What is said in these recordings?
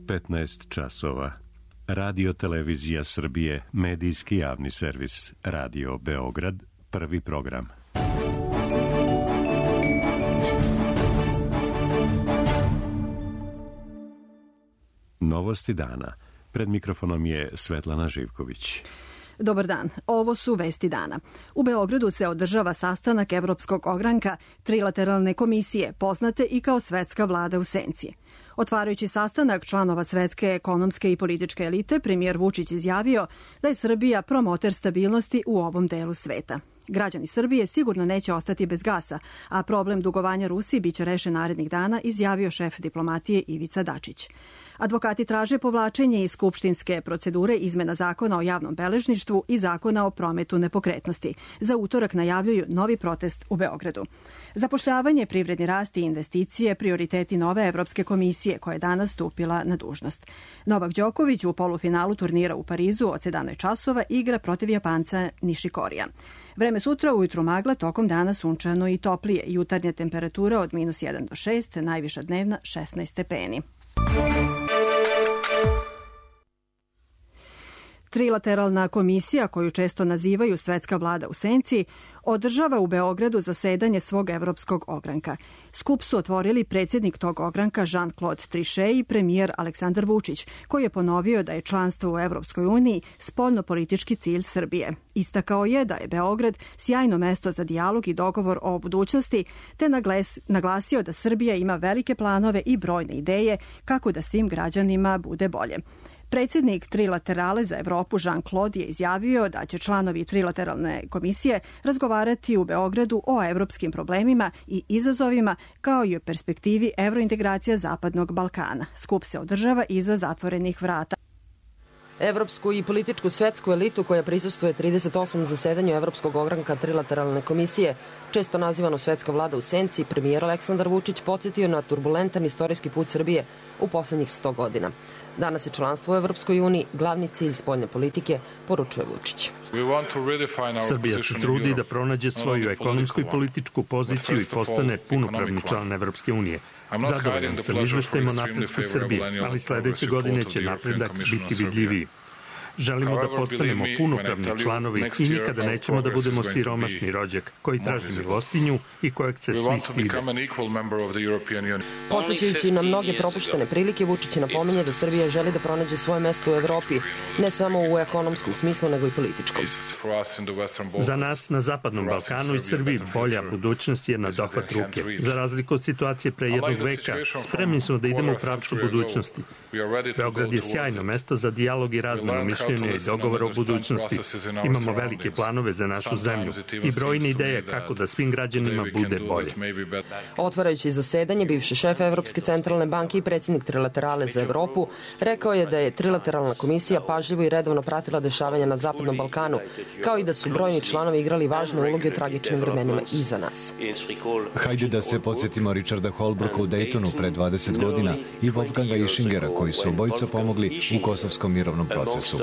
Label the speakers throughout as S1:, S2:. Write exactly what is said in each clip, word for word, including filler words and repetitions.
S1: petnaest časova. Radio Televizija Srbije, medijski javni servis, Radio Beograd, prvi program. Novosti dana. Pred mikrofonom je Svetlana Živković.
S2: Dobar dan, ovo su vesti dana. U Beogradu se održava sastanak Evropskog ogranka trilateralne komisije, poznate i kao Svetska vlada u senci. Otvarajući sastanak članova svetske ekonomske i političke elite, premijer Vučić izjavio da je Srbija promoter stabilnosti u ovom delu sveta. Građani Srbije sigurno neće ostati bez gasa, a problem dugovanja Rusiji biće rešen narednih dana, izjavio šef diplomatije Ivica Dačić. Advokati traže povlačenje iz skupštinske procedure izmena zakona o javnom beležništvu i zakona o prometu nepokretnosti. Za utorak najavljuju novi protest u Beogradu. Zapošljavanje, privredni rast i investicije prioriteti nove Evropske komisije koja je danas stupila na dužnost. Novak Đoković u polufinalu turnira u Parizu od sedamnaest časova igra protiv Japanca Nishikorija. Vreme sutra ujutru magla, tokom dana sunčano i toplije. Jutarnja temperatura od minus jedan do šest, najviša dnevna šesnaest stepeni. Trilateralna komisija, koju često nazivaju Svetska vlada u senci, održava u Beogradu zasedanje svog evropskog ogranka. Skup su otvorili predsjednik tog ogranka Jean-Claude Trichet i premijer Aleksandar Vučić, koji je ponovio da je članstvo u Evropskoj uniji spoljno-politički cilj Srbije. Istakao je da je Beograd sjajno mesto za dijalog i dogovor o budućnosti, te naglasio da Srbija ima velike planove i brojne ideje kako da svim građanima bude bolje. Predsjednik Trilaterale za Evropu Jean-Claude je izjavio da će članovi Trilateralne komisije razgovarati u Beogradu o evropskim problemima i izazovima kao i o perspektivi evrointegracija Zapadnog Balkana. Skup se održava iza zatvorenih vrata.
S3: Evropsku i političku svetsku elitu koja prisustuje trideset osmom zasedanju Evropskog ogranka Trilateralne komisije, često nazivano Svetska vlada u senci, premijer Aleksandar Vučić podsjetio na turbulentan istorijski put Srbije u poslednjih sto godina. Danas je članstvo u Evropskoj uniji glavni cilj spoljne politike, poručuje Vučić.
S4: Srbija se trudi da pronađe svoju ekonomsku i političku poziciju i postane punopravni član Evropske unije. Zadovoljan sam izveštajima o napretku Srbije, ali sledeće godine će napredak biti vidljiviji. Želimo da postanemo punopravni članovi i nikada nećemo da budemo siromašni rođak koji traži milostinju i kojeg se svi stide.
S3: Podsećajući na mnoge propuštene prilike, Vučić napominje da Srbija želi da pronađe svoje mesto u Evropi, ne samo u ekonomskom smislu, nego i političkom.
S4: Za nas na Zapadnom Balkanu i Srbiji bolja budućnost je na dohvat ruke. Za razliku od situacije pre jednog veka, spremni smo da idemo u pravcu budućnosti. Beograd je sjajno mesto za dijalog i razmenu mišljenja i dogovor o budućnosti. Imamo velike planove za našu zemlju i brojne ideje kako da svim građanima bude bolje.
S3: Otvarajući zasedanje, bivši šef Evropske centralne banke i predsjednik Trilaterale za Evropu rekao je da je Trilateralna komisija pažljivo i redovno pratila dešavanja na Zapadnom Balkanu, kao i da su brojni članovi igrali važne uloge u tragičnim vremenima iza nas.
S5: Hajde da se podsjetimo Richarda Holbrooka u Daytonu pre dvadeset godina i Wolfganga Ischingera koji su obojica pomogli u kosovskom mirovnom procesu.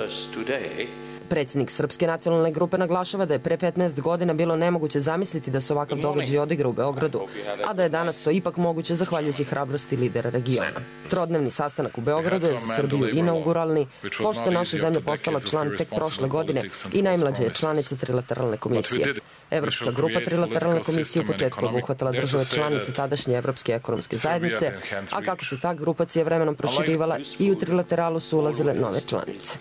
S3: Predsjednik Srpske nacionalne grupe naglašava da je pre petnaest godina bilo nemoguće zamisliti da se ovakav događaj odigra u Beogradu, a da je danas to ipak moguće zahvaljujući hrabrosti lidera regiona. Trodnevni sastanak u Beogradu je za Srbiju inauguralni, pošto je naša zemlja postala član tek prošle godine i najmlađa je članica Trilateralne komisije. Evropska grupa Trilateralne komisije u početku obuhvatala države članice tadašnje Evropske ekonomske zajednice, a kako se ta grupacija vremenom proširivala i u Trilateralu su ulazile nove članice.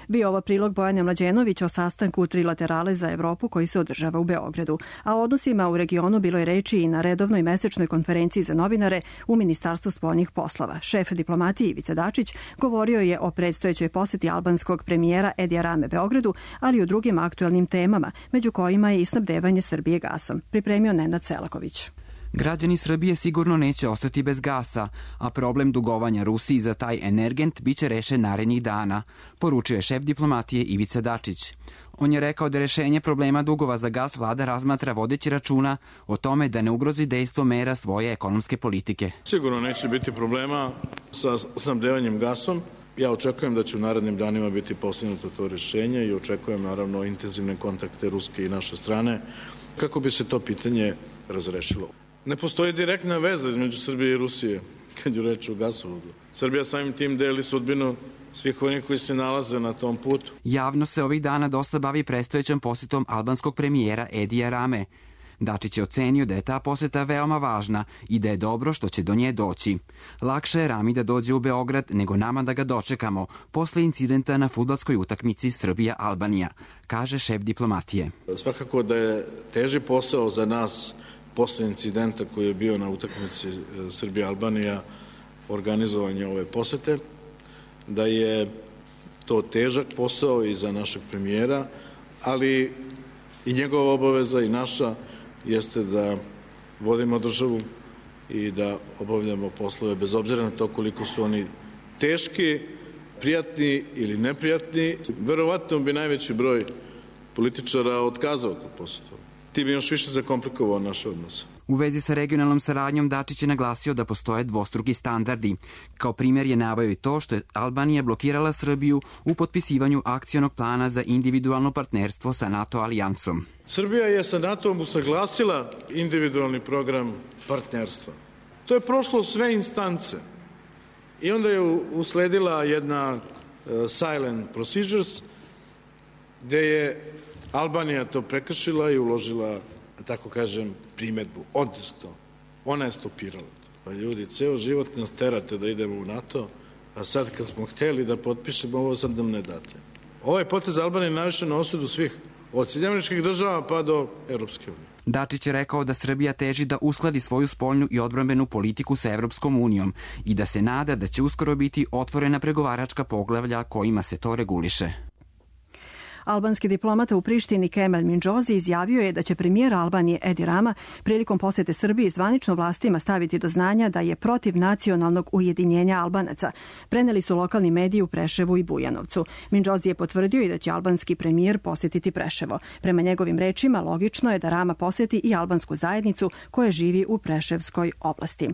S2: Bio ovo prilog Bojana Mlađenovića o sastanku Trilaterale za Evropu koji se održava u Beogradu. A o odnosima u regionu bilo je reči i na redovnoj mesečnoj konferenciji za novinare u Ministarstvu spoljnih poslova. Šef diplomatije Ivica Dačić govorio je o predstojećoj poseti albanskog premijera Edija Rame Beogradu, ali i o drugim aktuelnim temama, među kojima je i snabdevanje Srbije gasom. Pripremio Nenad Selaković.
S6: Građani Srbije sigurno neće ostati bez gasa, a problem dugovanja Rusiji za taj energent biće rešen narednih dana, poručuje šef diplomatije Ivica Dačić. On je rekao da rešenje problema dugova za gas vlada razmatra vodeći računa o tome da ne ugrozi dejstvo mera svoje ekonomske politike.
S7: Sigurno neće biti problema sa snabdevanjem gasom. Ja očekujem da će u narednim danima biti postignuto to rešenje i očekujem naravno intenzivne kontakte ruske i naše strane kako bi se to pitanje razrešilo. Ne postoji direktna veza između Srbije i Rusije. kad je reč o gasovodu. Srbija samim tim deli sudbinu svih onih koji se nalaze na tom putu.
S6: Javno se ovih dana dosta bavi predstojećom posetom albanskog premijera Edija Rame. Dačić je ocenio da je ta poseta veoma važna i da je dobro što će do nje doći. Lakše je Rami da dođe u Beograd nego nama da ga dočekamo posle incidenta na fudbalskoj utakmici Srbija-Albanija, kaže šef diplomatije.
S7: Svakako da je teži posao za nas posle incidenta koji je bio na utakmici Srbija-Albanija organizovanje ove posete, da je to težak posao i za našeg premijera, ali i njegova obaveza i naša jeste da vodimo državu i da obavljamo poslove bez obzira na to koliko su oni teški, prijatni ili neprijatni. Verovatno bi najveći broj političara otkazao tu posetu. Ti bi još više zakomplikovao naše odnose.
S6: U vezi sa regionalnom saradnjom Dačić je naglasio da postoje dvostruki standardi. Kao primjer je naveo i to što je Albanija blokirala Srbiju u potpisivanju akcionog plana za individualno partnerstvo sa NATO alijansom.
S7: Srbija je sa NATO-om usaglasila individualni program partnerstva. To je prošlo sve instance i onda je usledila jedna silent procedures gde je Albanija to prekršila i uložila, tako kažem, primedbu. Odnosno, ona je stopirala. Pa ljudi, ceo život nas terate da idemo u NATO, a sad kad smo hteli da potpišemo, ovo sad nam ne date. Ovaj potez Albanije je najviše na osudu svih, od Sjedinjenih Američkih Država pa do Evropske unije.
S6: Dačić je rekao da Srbija teži da uskladi svoju spoljnu i odbrambenu politiku sa Evropskom unijom i da se nada da će uskoro biti otvorena pregovaračka poglavlja kojima se to reguliše.
S2: Albanski diplomata u Prištini Kemal Mindžozi izjavio je da će premijer Albanije Edi Rama prilikom posete Srbiji zvanično vlastima staviti do znanja da je protiv nacionalnog ujedinjenja Albanaca. Preneli su lokalni mediji u Preševu i Bujanovcu. Mindžozi je potvrdio i da će albanski premijer posetiti Preševo. Prema njegovim rečima, logično je da Rama poseti i albansku zajednicu koja živi u Preševskoj oblasti.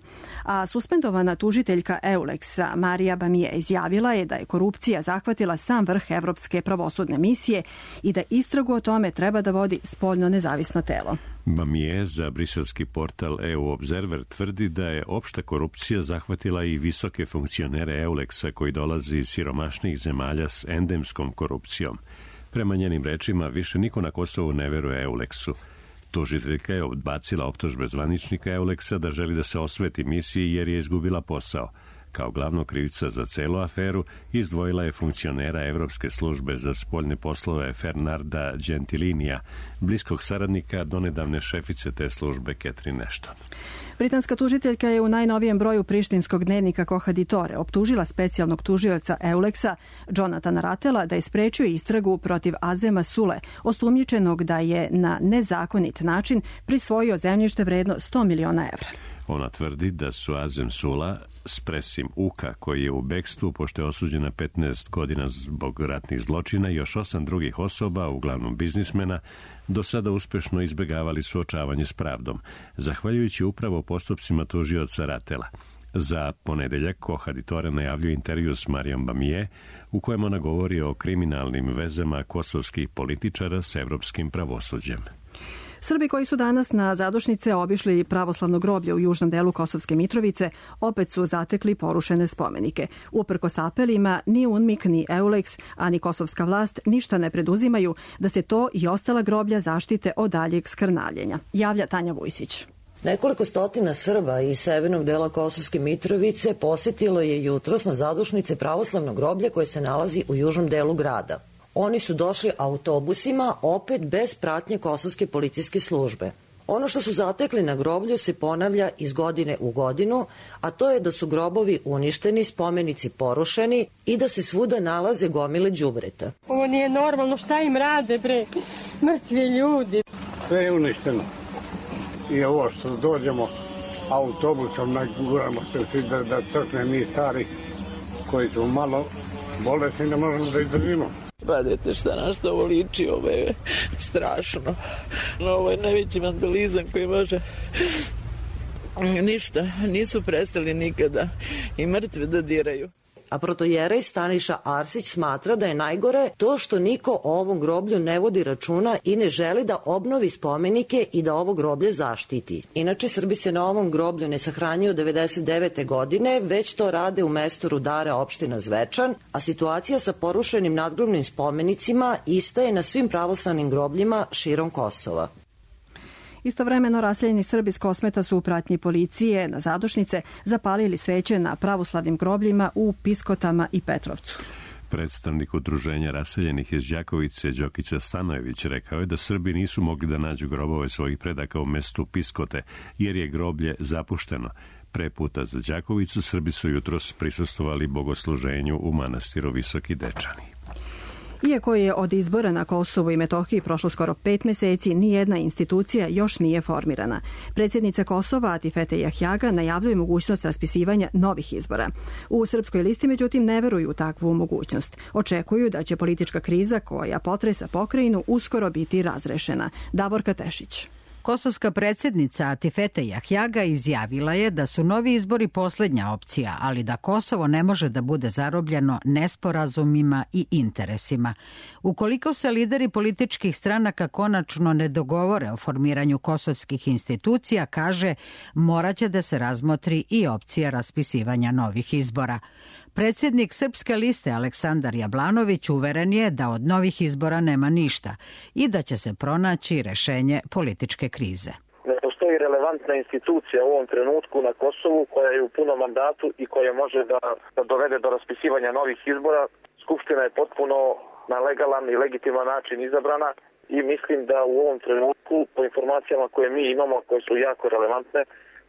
S2: A suspendovana tužiteljka Euleksa Marija Bamije izjavila je da je korupcija zahvatila sam vrh Evropske pravosudne misije i da istragu o tome treba da vodi spoljno nezavisno telo.
S1: Bamije za briselski portal E U Observer tvrdi da je opšta korupcija zahvatila i visoke funkcionere Euleksa koji dolazi iz siromašnih zemalja s endemskom korupcijom. Prema njenim rečima, više niko na Kosovu ne veruje Euleksu. Tužiteljka je odbacila optužbe zvaničnika Euleksa da želi da se osveti misiji jer je izgubila posao. Kao glavnog krivca za celu aferu izdvojila je funkcionera Evropske službe za spoljne poslove Fernanda Gentilinija, bliskog saradnika donedavne šefice te službe Catherine Ashton.
S2: Britanska tužiteljka je u najnovijem broju prištinskog dnevnika Kohaditore optužila specijalnog tužioca Euleksa Jonathana Ratela da je sprečio istragu protiv Azema Sule, osumnjičenog da je na nezakonit način prisvojio zemljište vredno sto miliona evra.
S1: Ona tvrdi da su Azem Sula s Presim Uka, koji je u bekstvu pošto je osuđen na petnaest godina zbog ratnih zločina i još osam drugih osoba, uglavnom biznismena, do sada uspešno izbegavali suočavanje s pravdom, zahvaljujući upravo postupcima tužioca Ratela. Za ponedeljak Kohaditore najavljuje intervju s Marijom Bamije, u kojem ona govori o kriminalnim vezama kosovskih političara s evropskim pravosuđem.
S2: Srbi koji su danas na zadušnice obišli pravoslavno groblje u južnom delu Kosovske Mitrovice opet su zatekli porušene spomenike. Uprkos apelima, ni UNMIK, ni Euleks, a ni kosovska vlast ništa ne preduzimaju da se to i ostala groblja zaštite od daljeg skrnavljenja. Javlja Tanja Vujsić.
S8: Nekoliko stotina Srba iz severnog dela Kosovske Mitrovice posetilo je jutros na zadušnice pravoslavnog groblja koje se nalazi u južnom delu grada. Oni su došli autobusima, opet bez pratnje kosovske policijske službe. Ono što su zatekli na groblju se ponavlja iz godine u godinu, a to je da su grobovi uništeni, spomenici porušeni i da se svuda nalaze gomile đubreta.
S9: Ovo nije normalno, šta im rade, bre, mrtvi ljudi.
S10: Sve je uništeno. I ovo što dođemo autobusom, naguramo se svi da, da crkne mi stari koji su malo bolesni, ne možemo da izdržimo.
S11: Radite šta na što ovo liči, ovo je strašno. Ovo je najveći vandalizam koji može... Ništa, nisu prestali nikada i mrtve da diraju.
S8: a protojerej Staniša Arsić smatra da je najgore to što niko o ovom groblju ne vodi računa i ne želi da obnovi spomenike i da ovo groblje zaštiti. Inače, Srbi se na ovom groblju ne sahranjuju od devedeset devete. godine, već to rade u mestu Rudara opština Zvečan, a situacija sa porušenim nadgrobnim spomenicima ista je na svim pravoslavnim grobljima širom Kosova.
S2: Istovremeno raseljeni Srbi s Kosmeta su u pratnji policije na zadušnice zapalili sveće na pravoslavnim grobljima u Piskotama i Petrovcu.
S1: Predstavnik udruženja raseljenih iz Đakovice, Đokica Stanojević, rekao je da Srbi nisu mogli da nađu grobove svojih predaka u mestu Piskote, jer je groblje zapušteno. Pre puta za Đakovicu Srbi su jutros prisustvovali bogosluženju u manastiru Visoki Dečani.
S2: Iako je od izbora na Kosovu i Metohiji prošlo skoro pet meseci, nijedna institucija još nije formirana. Predsjednica Kosova, Atifete Jahjaga, najavljuje mogućnost raspisivanja novih izbora. U Srpskoj listi, međutim, ne veruju u takvu mogućnost. Očekuju da će politička kriza koja potresa pokrajinu uskoro biti razrešena. Davorka Tešić.
S12: Kosovska predsjednica Atifete Jahjaga izjavila je da su novi izbori posljednja opcija, ali da Kosovo ne može da bude zarobljeno nesporazumima i interesima. Ukoliko se lideri političkih stranaka konačno ne dogovore o formiranju kosovskih institucija, kaže, moraće da se razmotri i opcija raspisivanja novih izbora. Predsjednik Srpske liste Aleksandar Jablanović uveren je da od novih izbora nema ništa i da će se pronaći rešenje političke krize.
S13: Ne postoji relevantna institucija u ovom trenutku na Kosovu koja je u punom mandatu i koja može da, da dovede do raspisivanja novih izbora. Skupština je potpuno na legalan i legitiman način izabrana i mislim da u ovom trenutku, po informacijama koje mi imamo, koje su jako relevantne,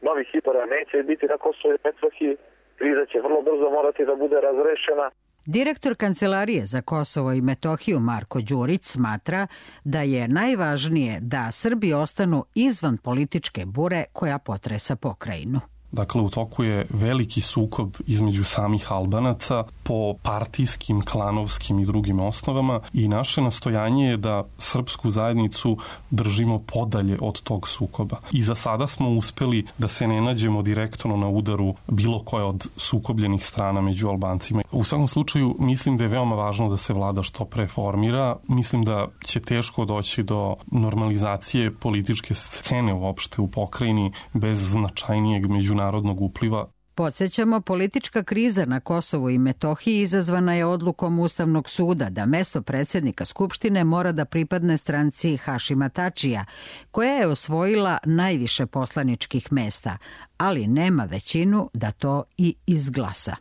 S13: novih izbora neće biti na Kosovu i Metohiji. Kriza će vrlo brzo morati da bude razrešena.
S12: Direktor Kancelarije za Kosovo i Metohiju Marko Đurić smatra da je najvažnije da Srbi ostanu izvan političke bure koja potresa pokrajinu.
S14: Dakle, u toku je veliki sukob između samih Albanaca po partijskim, klanovskim i drugim osnovama i naše nastojanje je da srpsku zajednicu držimo podalje od tog sukoba. I za sada smo uspeli da se ne nađemo direktno na udaru bilo koje od sukobljenih strana među Albancima. U svakom slučaju, mislim da je veoma važno da se vlada što pre formira. Mislim da će teško doći do normalizacije političke scene uopšte u pokrajini bez značajnijeg međunarodnog narodnog upliva.
S12: Podsjećamo, politička kriza na Kosovu i Metohiji izazvana je odlukom Ustavnog suda da mesto predsjednika Skupštine mora da pripadne stranci Hašima Tačija, koja je osvojila najviše poslaničkih mesta, ali nema većinu da to i izglasa.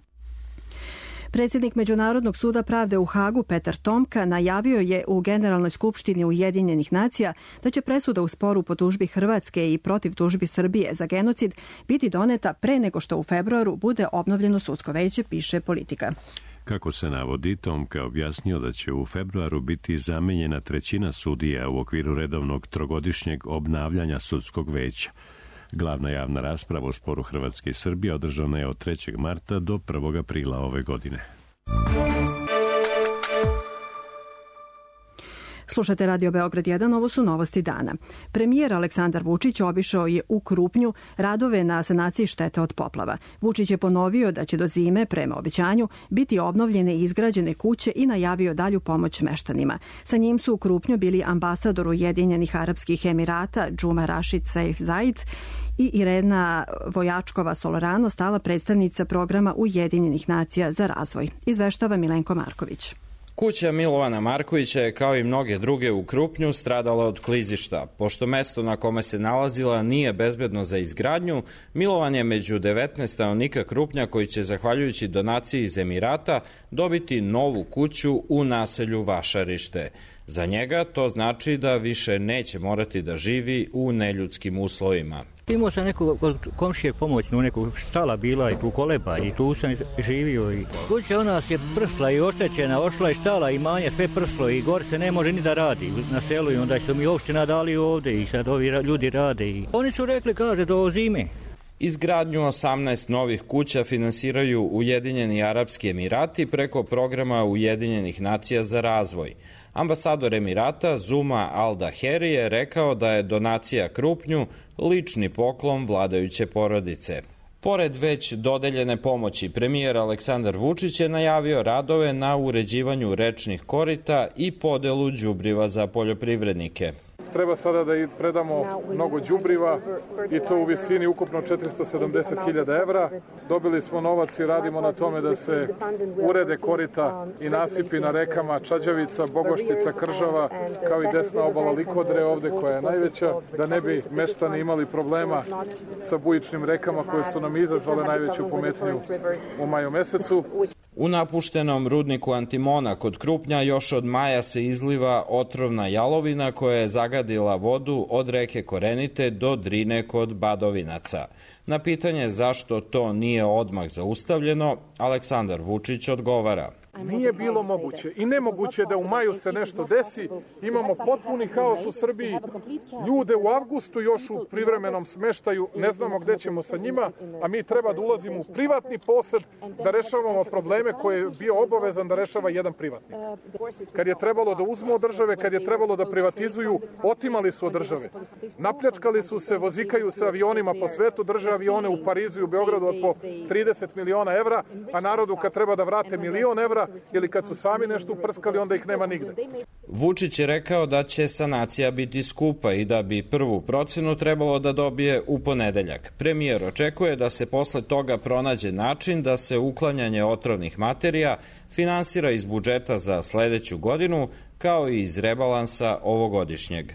S2: Predsjednik Međunarodnog suda pravde u Hagu Petar Tomka najavio je u Generalnoj skupštini Ujedinjenih nacija da će presuda u sporu po tužbi Hrvatske i protiv tužbi Srbije za genocid biti doneta pre nego što u februaru bude obnovljeno sudsko veće, piše Politika.
S1: Kako se navodi, Tomka objasnio da će u februaru biti zamenjena trećina sudija u okviru redovnog trogodišnjeg obnavljanja sudskog veća. Glavna javna rasprava o sporu Hrvatske i Srbije održana je od trećeg marta do prvog aprila ove godine.
S2: Slušate Radio Beograd jedan, ovo su novosti dana. Premijer Aleksandar Vučić obišao je u Krupnju radove na sanaciji štete od poplava. Vučić je ponovio da će do zime, prema obećanju, biti obnovljene i izgrađene kuće i najavio dalju pomoć meštanima. Sa njim su u Krupnju bili ambasador Ujedinjenih Arapskih Emirata Džuma Rašid Saif Zaid i Irena Vojačkova-Solorano, stala predstavnica programa Ujedinjenih nacija za razvoj. Izveštava Milenko Marković.
S15: Kuća Milovana Markovića je kao i mnoge druge u Krupnju stradala od klizišta. Pošto mesto na kome se nalazila nije bezbedno za izgradnju, Milovan je među devetnaest stanovnika Krupnja koji će, zahvaljujući donaciji iz Emirata, dobiti novu kuću u naselju Vašarište. Za njega to znači da više neće morati da živi u neljudskim uslovima.
S16: Imao sam neku komšije pomoćnu, neku štala bila i tu koleba i tu sam živio. I kuća u nas je prsla i oštećena, ošla je štala i manje, sve prslo i gore se ne može ni da radi na selu i onda su mi opština dali ovde i sad ovi ljudi rade. I oni su rekli, kaže, do zime.
S15: Izgradnju osamnaest novih kuća finansiraju Ujedinjeni Arapski Emirati preko programa Ujedinjenih nacija za razvoj. Ambasador Emirata Zuma Al-Daheri je rekao da je donacija Krupnju lični poklon vladajuće porodice. Pored već dodeljene pomoći, premijer Aleksandar Vučić je najavio radove na uređivanju rečnih korita i podelu đubriva za poljoprivrednike.
S17: Treba sada da i predamo mnogo đubriva i to u visini ukupno četiristo sedamdeset hiljada evra. Dobili smo novac i radimo na tome da se urede korita i nasipi na rekama Čađavica, Bogoštica, Kržava, kao i desna obala Likodre ovde koja je najveća, da ne bi meštani imali problema sa bujičnim rekama koje su nam izazvale najveću pometnju u maju mesecu.
S15: U napuštenom rudniku antimona kod Krupnja još od maja se izliva otrovna jalovina koja je zagadila vodu od reke Korenite do Drine kod Badovinaca. Na pitanje zašto to nije odmah zaustavljeno, Aleksandar Vučić odgovara.
S17: Nije bilo moguće i nemoguće da u maju se nešto desi. Imamo potpuni haos u Srbiji. Ljude u avgustu još u privremenom smeštaju, ne znamo gde ćemo sa njima, a mi treba da ulazimo u privatni posed da rešavamo probleme koje je bio obavezan da rešava jedan privatnik. Kad je trebalo da uzmu od države, kad je trebalo da privatizuju, otimali su od države. Napljačkali su se, vozikaju se avionima po svetu, drže avione u Parizu i u Beogradu od po trideset miliona evra, a narodu kad treba da vrate milion evra, ili kad su sami nešto uprskali, onda ih nema nigde.
S15: Vučić je rekao da će sanacija biti skupa i da bi prvu procenu trebalo da dobije u ponedeljak. Premijer očekuje da se posle toga pronađe način da se uklanjanje otrovnih materija finansira iz budžeta za sledeću godinu, kao i iz rebalansa ovogodišnjeg.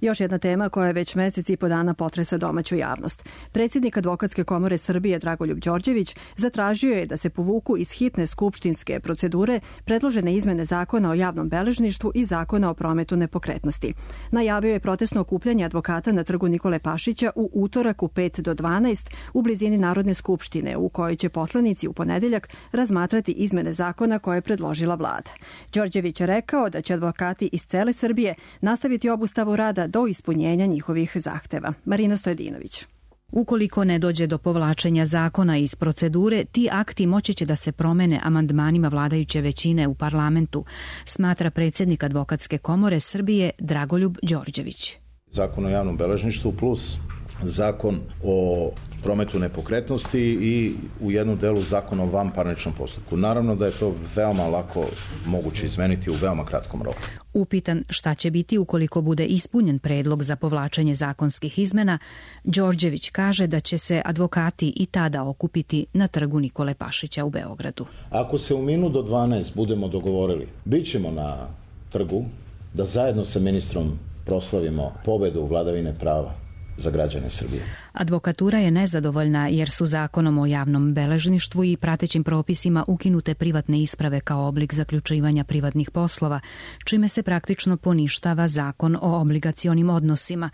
S2: Još jedna tema koja je već mesec i po dana potresa domaću javnost. Predsjednik Advokatske komore Srbije Dragoljub Đorđević zatražio je da se povuku iz hitne skupštinske procedure predložene izmene Zakona o javnom beležništvu i Zakona o prometu nepokretnosti. Najavio je protestno okupljanje advokata na trgu Nikole Pašića u utorak u pet do dvanaest u blizini Narodne skupštine, u kojoj će poslanici u ponedeljak razmatrati izmene zakona koje je predložila vlada. Đorđević je rekao da će advokati iz cele Srbije nastaviti obustavu rada do ispunjenja njihovih zahteva. Marina Stojedinović.
S18: Ukoliko ne dođe do povlačenja zakona iz procedure, ti akti moći će da se promene amandmanima vladajuće većine u parlamentu, smatra predsjednik Advokatske komore Srbije Dragoljub Đorđević.
S19: Zakon o javnom beležništvu plus zakon o prometu nepokretnosti i u jednu delu zakon o vanparničnom postupku. Naravno da je to veoma lako moguće izmeniti u veoma kratkom roku.
S18: Upitan šta će biti ukoliko bude ispunjen predlog za povlačenje zakonskih izmena, Đorđević kaže da će se advokati i tada okupiti na trgu Nikole Pašića u Beogradu.
S19: Ako se u minut do dvanaest budemo dogovorili, bit ćemo na trgu da zajedno sa ministrom proslavimo pobedu vladavine prava za građane Srbije.
S18: Advokatura je nezadovoljna jer su zakonom o javnom beležništvu i pratećim propisima ukinute privatne isprave kao oblik zaključivanja privatnih poslova, čime se praktično poništava zakon o obligacionim odnosima.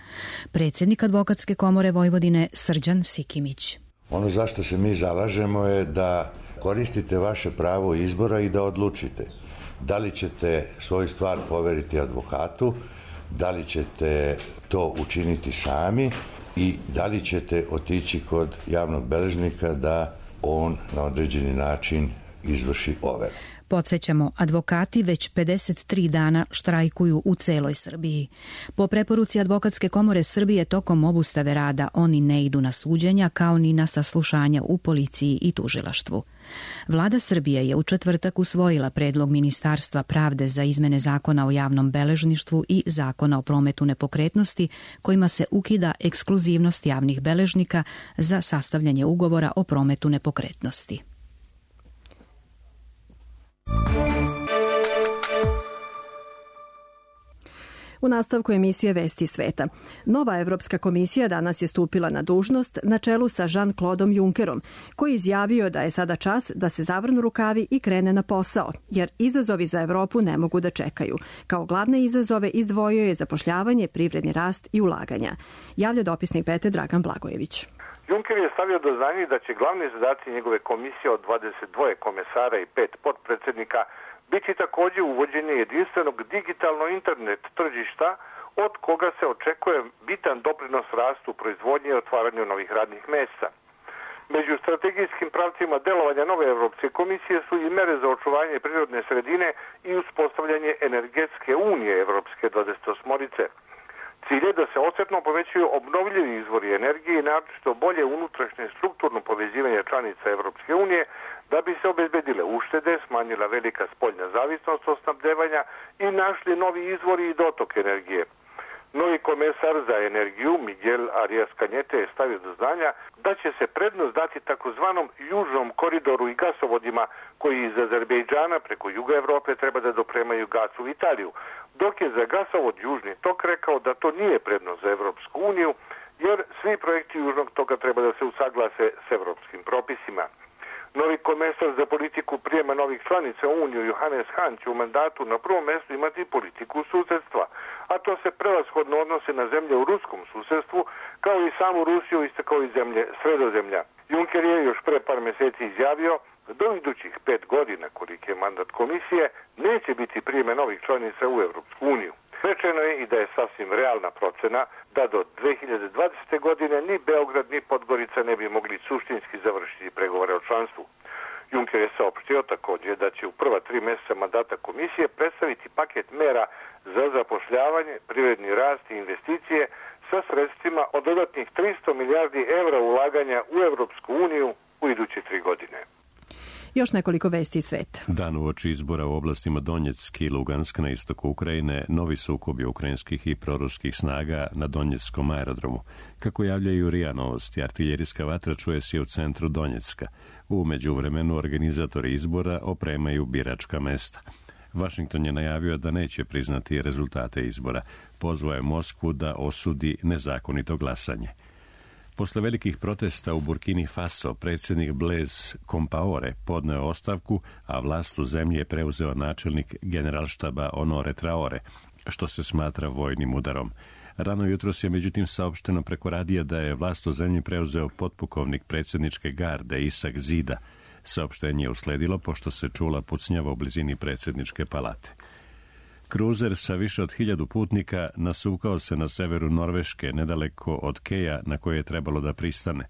S18: Predsjednik Advokatske komore Vojvodine Srđan Sikimić.
S20: Ono zašto se mi zalažemo je da koristite vaše pravo izbora i da odlučite da li ćete svoju stvar poveriti advokatu, da li ćete to učiniti sami i da li ćete otići kod javnog beležnika da on na određeni način izvrši overu.
S18: Podsjećamo, advokati već pedeset tri dana štrajkuju u celoj Srbiji. Po preporuci Advokatske komore Srbije tokom obustave rada oni ne idu na suđenja kao ni na saslušanja u policiji i tužilaštvu. Vlada Srbije je u četvrtak usvojila predlog Ministarstva pravde za izmene Zakona o javnom beležništvu i Zakona o prometu nepokretnosti, kojima se ukida ekskluzivnost javnih beležnika za sastavljanje ugovora o prometu nepokretnosti.
S2: U nastavku emisije Vesti sveta. Nova Evropska komisija danas je stupila na dužnost na čelu sa Jean-Claudeom Junckerom, koji je izjavio da je sada čas da se zavrnu rukavi i krene na posao, jer izazovi za Evropu ne mogu da čekaju. Kao glavne izazove izdvojio je zapošljavanje, privredni rast i ulaganja. Javlja dopisnik Pete Dragan Blagojević.
S21: Juncker je stavio do znanja da će glavni zadaci njegove komisije od dvadeset dva komesara i pet potpredsednika biti takođe uvođenje jedinstvenog digitalno internet tržišta od koga se očekuje bitan doprinos rastu proizvodnje i otvaranju novih radnih mesta. Među strategijskim pravcima delovanja nove Evropske komisije su i mere za očuvanje prirodne sredine i uspostavljanje energetske unije Evropske dvadesetosmorice. Cilj je da se osjetno povećaju obnovljivi izvori energije i naročito bolje unutrašnje strukturno povezivanje članica Evropske unije da bi se obezbedile uštede, smanjila velika spoljna zavisnost od snabdevanja i našli novi izvori i dotok energije. Novi komesar za energiju Miguel Arias Cañete je stavio do znanja da će se prednost dati takozvanom južnom koridoru i gasovodima koji iz Azerbejdžana preko juga Evrope treba da dopremaju gas u Italiju, dok je za gasovod Južni tok rekao da to nije prednost za Evropsku uniju, jer svi projekti Južnog toka treba da se usaglase s evropskim propisima. Novi komesar za politiku prijema novih članica u Uniju Johannes Hahn će u mandatu na prvom mjestu imati politiku susedstva, a to se prevashodno odnose na zemlje u ruskom susedstvu, kao i samu Rusiju isto kao i zemlje Sredozemlja. Juncker je još pre par mjeseci izjavio da do idućih pet godina, koliki je mandat komisije, neće biti prijeme novih članica u Evropsku uniju. Rečeno je i da je sasvim realna procena da do dve hiljade dvadesete. godine ni Beograd ni Podgorica ne bi mogli suštinski završiti pregovore o članstvu. Juncker je saopštio također da će u prva tri mjeseca mandata komisije predstaviti paket mera za zapošljavanje, privredni rast i investicije sa sredstvima od dodatnih tristo milijardi evra ulaganja u Evropsku uniju u iduće tri godine.
S2: Još nekoliko vesti iz sveta.
S1: Dan uoči izbora u oblastima Donjeck i Lugansk na istoku Ukrajine, novi sukobi ukrajinskih i proruskih snaga na Donjeckom aerodromu. Kako javljaju R I A Novosti, artiljerijska vatra čuje se u centru Donjecka. U međuvremenu organizatori izbora opremaju biračka mesta. Washington je najavio da neće priznati rezultate izbora. Pozvao je Moskvu da osudi nezakonito glasanje. Posle velikih protesta u Burkini Faso, predsjednik Blaise Compaoré podneo ostavku, a vlast u zemlji je preuzeo načelnik generalštaba Honore Traore, što se smatra vojnim udarom. Rano jutros je međutim saopšteno preko radija da je vlast u zemlji preuzeo potpukovnik predsjedničke garde Isak Zida. Saopštenje je usledilo pošto se čula pucnjava u blizini predsjedničke palate. Kruzer sa više od hiljadu putnika nasukao se na severu Norveške, nedaleko od Keja na koje je trebalo da pristane.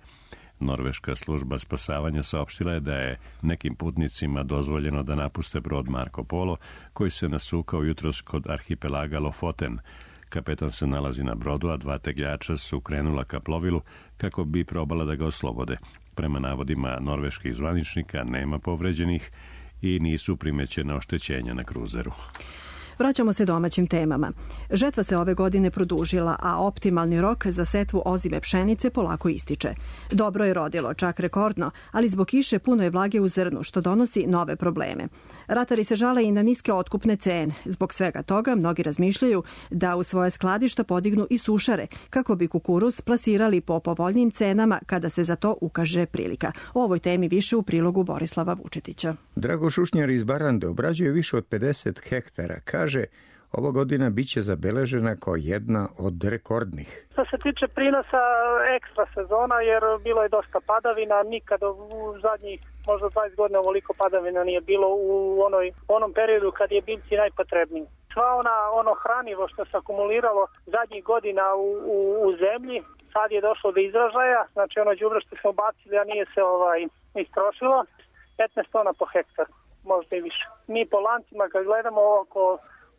S1: Norveška služba spasavanja saopštila je da je nekim putnicima dozvoljeno da napuste brod Marco Polo, koji se nasukao jutros kod arhipelaga Lofoten. Kapetan se nalazi na brodu, a dva tegljača su krenula ka plovilu kako bi probala da ga oslobode. Prema navodima norveških zvaničnika nema povređenih i nisu primećena oštećenja na kruzeru.
S2: Vraćamo se domaćim temama. Žetva se ove godine produžila, a optimalni rok za setvu ozime pšenice polako ističe. Dobro je rodilo, čak rekordno, ali zbog kiše puno je vlage u zrnu, što donosi nove probleme. Ratari se žale i na niske otkupne cene. Zbog svega toga mnogi razmišljaju da u svoje skladišta podignu i sušare, kako bi kukuruz plasirali po povoljnijim cenama kada se za to ukaže prilika. O ovoj temi više u prilogu Borislava Vučetića.
S4: Drago Šušnjar iz Barande obrađuje više od pedeset hektara. Kaže, ova godina biće zabeležena kao jedna od rekordnih.
S22: Što se tiče prinosa, ekstra sezona, jer bilo je dosta padavina, nikada u zadnjih možda dvadeset godina ovoliko padavina nije bilo u onoj, onom periodu kad je biljci najpotrebniji. Sva ona, ono hranivo što se akumuliralo zadnjih godina u, u, u zemlji, sad je došlo do izražaja, znači ono đubre što smo bacili, a nije se ovaj istrošilo, petnaest tona po hektar, možda i više. Mi po lancima kad gledamo oko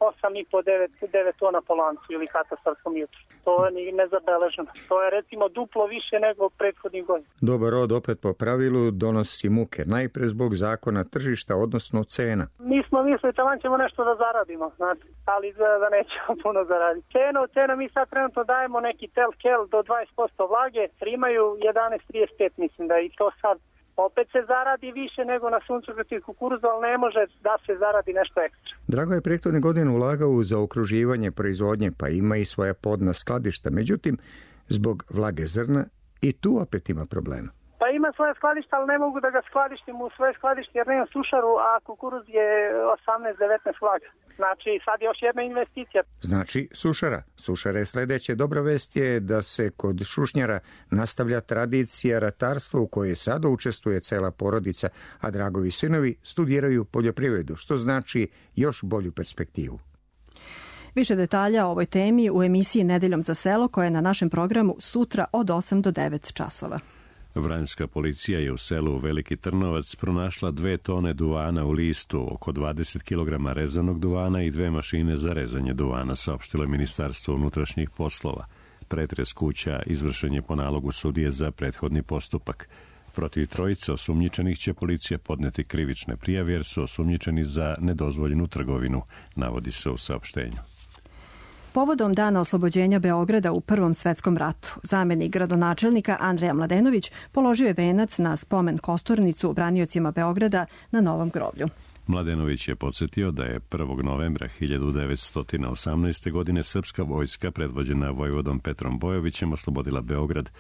S22: osam i po do devet tona po lancu ili katastarskom jutru. To je nezabeleženo. To je recimo duplo više nego prethodnih godina.
S4: Dobar rod opet po pravilu donosi muke, najpre zbog zakona tržišta, odnosno cena.
S22: Mi smo mislili da ćemo nešto da zaradimo, znači, ali izgleda da nećemo puno zaraditi. Cenu, cenu mi sad trenutno dajemo neki tel kel do dvadeset posto vlage, primaju jedanaest trideset pet, mislim da i to sad opet se zaradi više nego na suncokreti kukuruzu, ali ne može da se zaradi nešto ekstra.
S4: Drago je prethodne godine ulagao u zaokruživanje proizvodnje, pa ima i svoja podna skladišta. Međutim, zbog vlage zrna i tu opet ima problema.
S22: Pa ima svoje skladište, ali ne mogu da ga skladištim u svoje skladište jer nemam sušaru, a kukuruz je osamnaest devetnaest vlaga. Znači, sad još jedna investicija.
S4: Znači, sušara. Sušara je sledeće. Dobra vest je da se kod Šušnjara nastavlja tradicija ratarstva u kojoj sada učestvuje cela porodica, a Dragovi sinovi studiraju poljoprivredu, što znači još bolju perspektivu.
S2: Više detalja o ovoj temi u emisiji Nedeljom za selo koja je na našem programu sutra od osam do devet časova.
S1: Vranjska policija je u selu Veliki Trnovac pronašla dve tone duvana u listu, oko dvadeset kilograma rezanog duvana i dve mašine za rezanje duvana, saopštilo je Ministarstvo unutrašnjih poslova. Pretres kuća izvršen je po nalogu sudije za prethodni postupak. Protiv trojice osumnjičenih će policija podneti krivične prijave jer su osumnjičeni za nedozvoljenu trgovinu, navodi se u saopštenju.
S2: Povodom dana oslobođenja Beograda u Prvom svetskom ratu, zamenik gradonačelnika Andreja Mladenović položio je venac na spomen kosturnicu braniocima Beograda na Novom groblju.
S1: Mladenović je podsjetio da je prvog novembra hiljadu devetsto osamnaeste. godine srpska vojska predvođena vojvodom Petrom Bojovićem oslobodila Beograd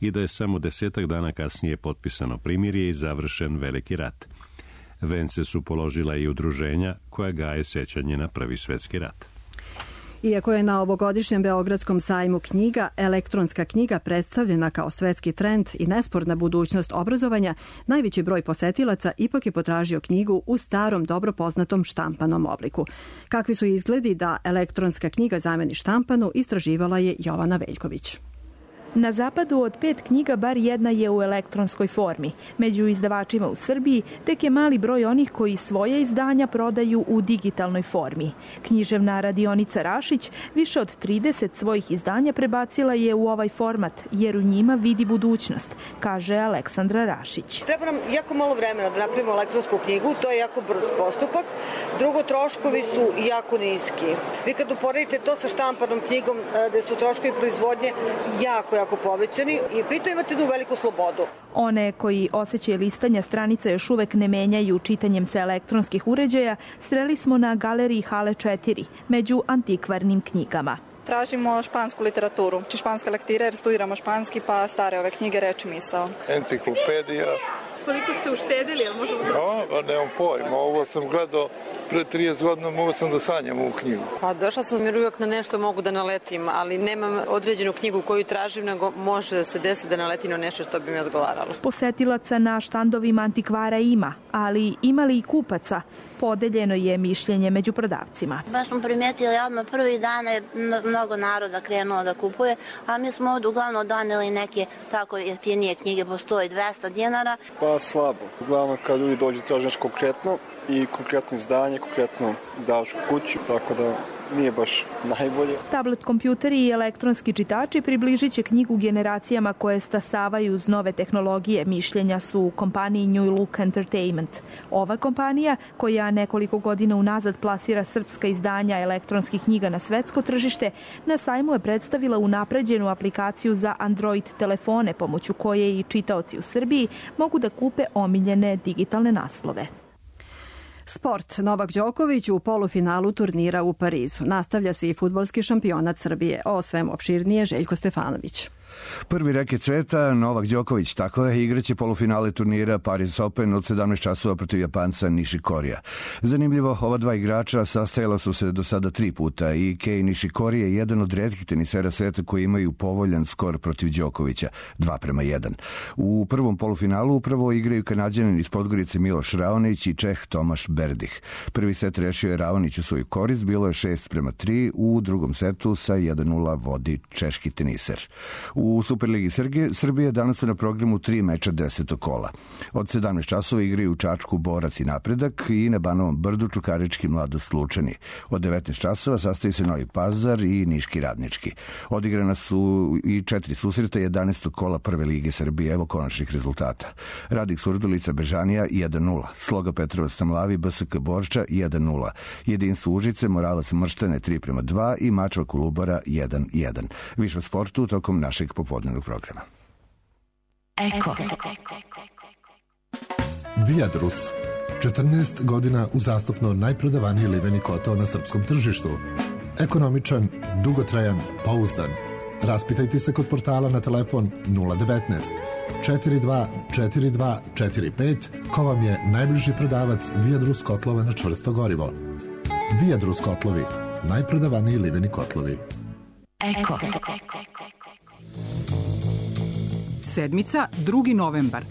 S1: i da je samo desetak dana kasnije potpisano primirje i završen Veliki rat. Vence su položila i udruženja koja gaje sećanje na Prvi svetski rat.
S2: Iako je na ovogodišnjem Beogradskom sajmu knjiga elektronska knjiga predstavljena kao svetski trend i nesporna budućnost obrazovanja, najveći broj posetilaca ipak je potražio knjigu u starom, dobro poznatom štampanom obliku. Kakvi su izgledi da elektronska knjiga zameni štampanu, istraživala je Jovana Veljković.
S3: Na zapadu od pet knjiga bar jedna je u elektronskoj formi. Među izdavačima u Srbiji tek je mali broj onih koji svoje izdanja prodaju u digitalnoj formi. Književna radionica Rašić više od trideset svojih izdanja prebacila je u ovaj format, jer u njima vidi budućnost, kaže Aleksandra Rašić.
S5: Treba nam jako malo vremena da napravimo elektronsku knjigu, to je jako brz postupak. Drugo, troškovi su jako niski. Vi kad uporedite to sa štampanom knjigom, gde su troškovi proizvodnje jako, jako povećani i pritom imate jednu veliku slobodu.
S3: One koji osjećaj listanja stranica još uvek ne menjaju čitanjem sa elektronskih uređaja, sreli smo na galeriji Hale četiri, među antikvarnim knjigama.
S23: Tražimo špansku literaturu, či španska lektira jer studiramo španski, pa stare ove knjige Reč i misao.
S24: Enciklopedija.
S23: Koliko ste uštedili, ali možemo to?
S24: No, nemam pojma, ovo sam gledao pre trideset godina, mogu sam da sanjam ovu knjigu.
S25: Pa došla sam jer uvijek na nešto mogu da naletim, ali nemam određenu knjigu koju tražim, nego može da se desi da naletim na nešto što bi mi odgovaralo.
S3: Posetilaca na štandovima antikvara ima, ali ima li i kupaca? Podeljeno je mišljenje među prodavcima.
S26: Baš smo primetili odmah prvi dan je mnogo naroda krenulo da kupuje, a mi smo ovdje uglavnom doneli neke tako jeftinije knjige po sto i dvesta dinara.
S27: Pa slabo. Uglavnom kad ljudi dođu traže nešto konkretno i konkretno izdanje, konkretno izdavačku kuću, tako da nije baš najbolje.
S3: Tablet kompjuteri i elektronski čitači približit će knjigu generacijama koje stasavaju uz nove tehnologije, mišljenja su u kompaniji New Look Entertainment. Ova kompanija, koja nekoliko godina unazad plasira srpska izdanja elektronskih knjiga na svetsko tržište, na sajmu je predstavila unapređenu aplikaciju za Android telefone, pomoću koje i čitaoci u Srbiji mogu da kupe omiljene digitalne naslove.
S2: Sport. Novak Đoković u polufinalu turnira u Parizu. Nastavlja se i fudbalski šampionat Srbije. O svemu opširnije Željko Stefanović.
S28: Prvi reket sveta, Novak Đoković, tako je, igraće polufinale turnira Paris Open od sedamnaest časova protiv Japanca Nishikorija. Zanimljivo, ova dva igrača sastajala su se do sada tri puta i Kei Nishikori je jedan od retkih tenisera sveta koji imaju povoljan skor protiv Đokovića, dva prema jedan. U prvom polufinalu upravo igraju Kanađanin iz Podgorice Miloš Raonić i Čeh Tomaš Berdih. Prvi set rešio je Raonić u svoju korist, bilo je šest prema tri, u drugom setu sa jedan nula vodi češki teniser. U Superligi Srbije danas su na programu tri meča desetog kola. Od sedamnaest časova igraju u Čačku Borac i Napredak i na Banovom Brdu Čukarički Mladost Lučani. Od devetnaest časova sastoji se Novi Pazar i Niški Radnički. Odigrana su i četiri susreta jedanaestog kola Prve lige Srbije. Evo konačnih rezultata. Radik Surdulica Bežanija jedan nula. Sloga Petrovac Tamlavi B S K Borča jedan nula. Jedinstvo Užice Moralac Mrštane tri prema dva i Mačva Kolubara jedan jedan. Više o sportu tokom našeg popodnevnog programa.
S29: Eko. Viadrus. četrnaest godina uzastopno najprodavaniji liveni kotao na srpskom tržištu. Ekonomičan, dugotrajan, pouzdan. Raspitajte se kod portala na telefon nula devetnaest četiri dva četiri dva četiri pet ko vam je najbliži prodavac Viadrus kotlova na čvrsto gorivo. Viadrus kotlovi. Najprodavaniji liveni kotlovi. Eko.
S30: Sedmica, drugi novembar.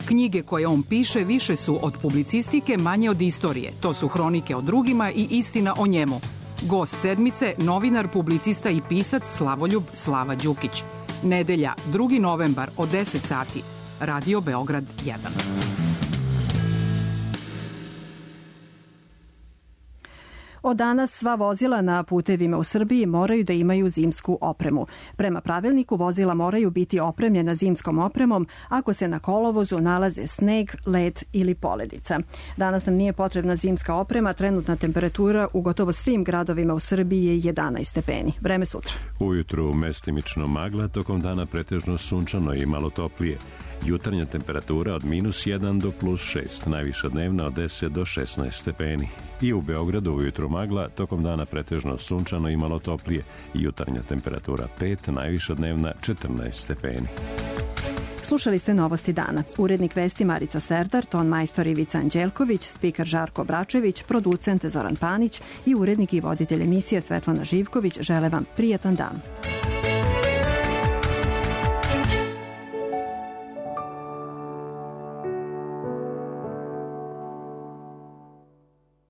S30: Knjige koje on piše više su od publicistike, manje od istorije. To su hronike o drugima i istina o njemu. Gost sedmice, novinar, publicista i pisac Slavoljub Slava Đukić. Nedelja, drugi novembar od deset sati. Radio Beograd jedan.
S2: Od danas sva vozila na putevima u Srbiji moraju da imaju zimsku opremu. Prema pravilniku vozila moraju biti opremljena zimskom opremom ako se na kolovozu nalaze sneg, led ili poledica. Danas nam nije potrebna zimska oprema, trenutna temperatura u gotovo svim gradovima u Srbiji je jedanaest stepeni. Vreme sutra.
S1: Ujutru mestimično magla, tokom dana pretežno sunčano i malo toplije. Jutarnja temperatura od minus jedan do plus šest, najviša dnevna od deset do šesnaest stepeni. I u Beogradu ujutru magla, tokom dana pretežno sunčano i malo toplije. Jutarnja temperatura pet, najviša dnevna četrnaest stepeni.
S2: Slušali ste Novosti dana. Urednik vesti Marica Serdar, ton majstor Ivica Anđelković, spiker Žarko Bračević, producent Zoran Panić i urednik i voditelj emisije Svetlana Živković žele vam prijatan dan.